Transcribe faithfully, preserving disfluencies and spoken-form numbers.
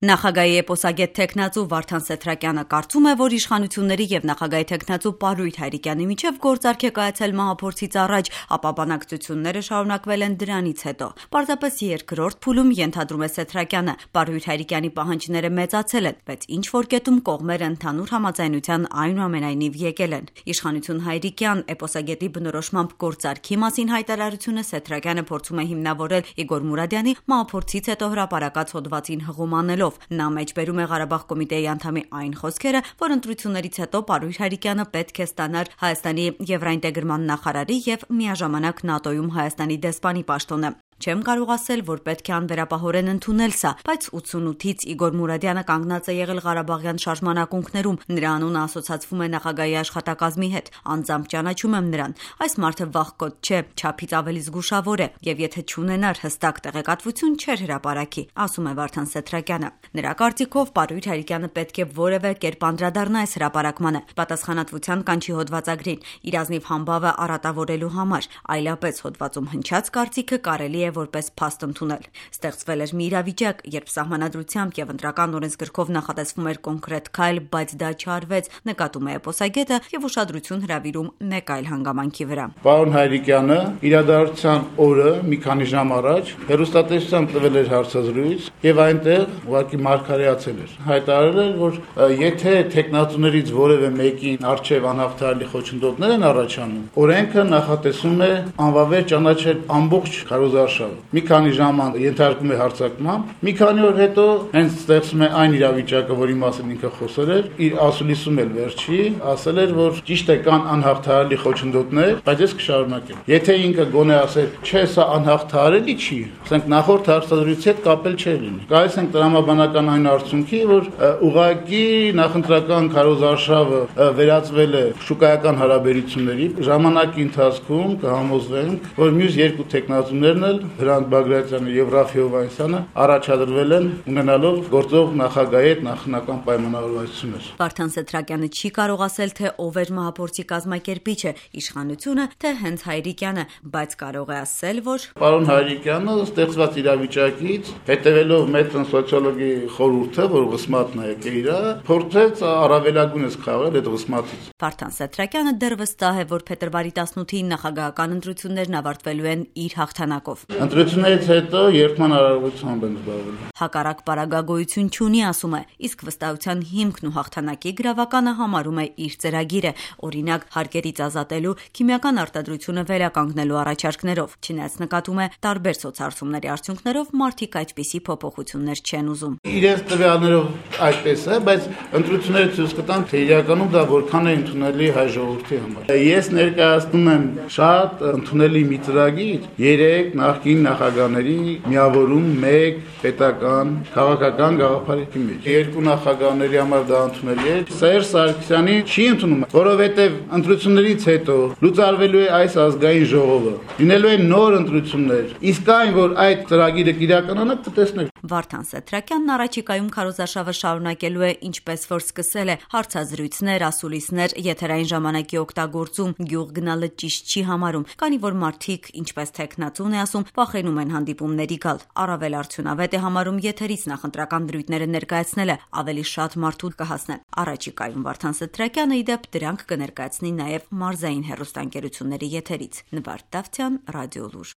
Նախագահի էպոսագետ թեկնածու Վարդան Սեթրակյանը կարծում է, որ իշխանությունների եւ նախագահի թեկնածու Պարույր Հայրիկյանի միջեւ գործարք է կայացել մահափորձից առաջ, ապա բանակցությունները շարունակվել են դրանից հետո։ Պարզապես երկրորդ փուլում, ենթադրում է Սեթրակյանը, Պարույր Հայրիկյանի պահանջները մեծացել են, բայց ինչ որ կետում կողմերը ընդհանուր համաձայնության այնուամենայնիվ եկել են։ Իշխանություն Հայրիկյան էպոսագետի բնորոշմամբ գործարքի մասին հայտարարությունը Սեթրակյանը փորձում է հիմնավորել Իգոր Մուրադյանի մահափորձից հետո հրապարակած հոդվածին հղում անելով։ Նա մեջբերում է Ղարաբաղ կոմիտեի անդամի այն խոսքերը, որ ընտրություններից հետո Պարույր Հայրիկյանը պետք է ստանար Հայաստանի եվրաինտեգրման նախարարի եւ միաժամանակ ՆԱՏՕ-ում Հայաստանի դեսպանի պաշտոնը։ Չեմ կարող ասել, որ պետք է անվերապահորեն ընդունել սա, բայց ութսունութից Իգոր Մուրադյանը կանգնած է եղել Ղարաբաղյան շարժման ակունքներում, նրա անունը ասոցացվում է նախագահի աշխատակազմի հետ, անձամբ ճանաչում եմ նրան։ Այս մարդը վախկոտ չէ, չափից ավելի զգուշավոր է, եւ եթե չունենար հստակ տեղեկատվություն, չէր հրապարակի, ասում է Վարդան Սեթրակյանը։ Նրա կարծիքով Պարույր Հայրիկյանը պետք է որևէ կերպ անդրադառնա այս հրապարակմանը, պատասխանատվության կանչի հոդվածագրին, իր ազնիվ համբավը արատավորելու համար, այլապես հոդվածում հնչած կարծիքը կարելի է որպես փաստ ընդունել։ Ստեղծվել էր մի իրավիճակ, երբ սահմանադրությամբ եւ ընտրական օրենսգրքով նախատեսվում էր կոնկրետ քայլ, բայց դա չարվեց, նկատում է էպոսագետը եւ ուշադրություն հրավիրում մեկ այլ հանգամանքի վրա։ Պարոն Հայրիկյանը իրադարձության օրը մի քանի ժամ առաջ հեռուստատեսությամբ տվել էր հարցազրույց եւ այնտեղ ուղղակի մարգարեացել էր։ Հայտարարել էր, որ եթե տեխնատուներից որևէ մեկին արժեվ անհաղթահարելի խոչընդոտներ են առաջանում, օրենքը նախատեսում է անվավեր ճանաչել ամբողջ քարոզարշավը։ Մի քանի ժամ ենթարկում է հարձակման, մի քանի օր հետո հենց ստեղծում է այն իրավիճակը, որի մասին ինքը խոսել էր, իր ասուլիսում էլ վերջի, ասել էր, որ ճիշտ է կան անհաղթահարելի խոչընդոտներ, բայց ես կշարունակեմ։ Եթե ինքը գոնե ասել, չէ, սա անհաղթահարելի չի, ասենք նախորդ հարցազրույցի հետ կապել չէ լինի։ Գալիս ենք տրամաբանական այն արդյունքի, որ ուղղակի նախընտրական քարոզարշավը վերածվել է շուկայական հարաբերությունների, ժամանակի ընթացքում կհամոզվենք, որ մյուս երկու տեխնատուներն էլ Հրանտ Բագրատյանը եւ Ռաֆի Հովհաննիսյանը առաջադրվել են ունենալով գործող նախագահի հետ նախնական պայմանավորվածություններ։ Վարդան Սեթրակյանը չի կարող ասել, թե ով էր մահափորձի կազմակերպիչը, իշխանությունը, թե հենց Հայրիկյանը, բայց կարող է ասել, որ պարոն Հայրիկյանը ստեղծված իրավիճակից հետևելով մետրոն սոցիոլոգի խորհուրդը, որ վսմատն է եկել իրա, փորձեց առավելագույնս խաղալ այդ վսմատից։ Վարդան Սեթրակյանը դեռ վստահ է, որ փետրվարի տասնութին նախագահական ընտրություններն ավարտվելու են իր հաղթանակով։ Ընտրություններից հետո երթման արարողությամբ են զբաղվել։ Հակառակ պարագագոյություն չունի, ասում է, իսկ վստահության հիմքն ու հաղթանակի գրավականը համարում է իր ծրագիրը, օրինակ հարկերից ազատելու, քիմիական արտադրությունը վերականգնելու առաջարկներով։ Չնայած նկատում է տարբեր սոցհարցումների արդյունքներով մարդիկ այդպիսի փոփոխություններ չեն ուզում։ Իրենց տվյալներով այդպես է, բայց ընտրությունները ցույց կտան, թե իրականում դա որքան է ընդունելի հայ ժողովրդի համար։ Ես ներկայացնում եմ շատ ընդունելի մի ծրագիր, երեք նախկին նախագահների միավորում մեկ պետական քաղաքական գաղափարի մեջ։ Երկու նախագահների համար դա ընդունելի է։ Սերժ Սարգսյանի չի ընդունում, որովհետև ընտրություններից հետո լուծարվելու է այս ազգային ժողովը։ Լինելու են նոր ընտրություններ։ Իսկ այն, որ այդ ծրագիրը կիրականանա, կտեսնենք։ Վարդան Սեթրակյանն առաջիկայում քարոզարշավը շարունակելու է ինչպես որ սկսել է, հարցազրույցներ, ասուլիսներ, եթերային ժամանակի օգտագործում, գյուղ գնալը ճիշտ չի համարում, քանի որ մարդիկ, ինչպես թեկնածուն է ասում, վախենում են հանդիպումների գալ։ Առավել արդյունավետ է համարում եթերից նախընտրական դրույթները ներկայացնելը, ավելի շատ մարդու կհասնեն։ Առաջիկայում Վարդան Սեթրակյանը ի դեպ դրանք կներկայացնի նաև մարզային հեռուստաընկերությունների եթերից։ Նվարդ Դավթյան, Ռադիոլուր։